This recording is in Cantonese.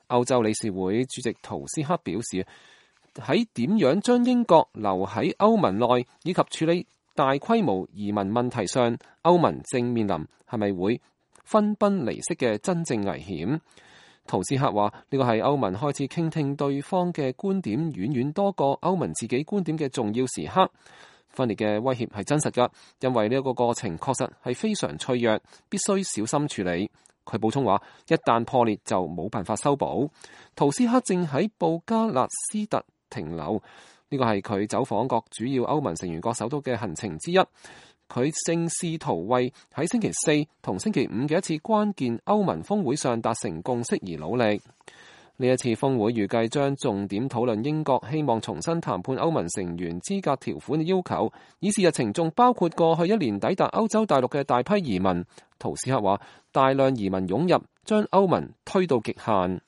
歐洲理事會主席圖斯克表示，喺點樣將英國留喺歐盟內以及處理大規模移民問題上，歐盟正面臨係咪會分崩離析嘅真正危險。圖斯克話呢個係歐盟開始傾聽對方嘅觀點遠遠多過歐盟自己觀點嘅重要時刻。分裂嘅威脅係真實㗎，因為呢一個過程確實係非常脆弱，必須小心處理。佢補充話，一旦破裂就冇辦法修補。圖斯克正喺布加勒斯特停留，呢個係佢走訪各主要歐盟成員國首都嘅行程之一。佢正試圖為喺星期四同星期五嘅一次關鍵歐盟峰會上達成共識而努力。呢一次峰會預計將重點討論英國希望重新談判歐盟成員資格條款嘅要求，議事日程仲包括過去一年抵達歐洲大陸嘅大批移民。圖斯克話，大量移民湧入將歐盟推到極限。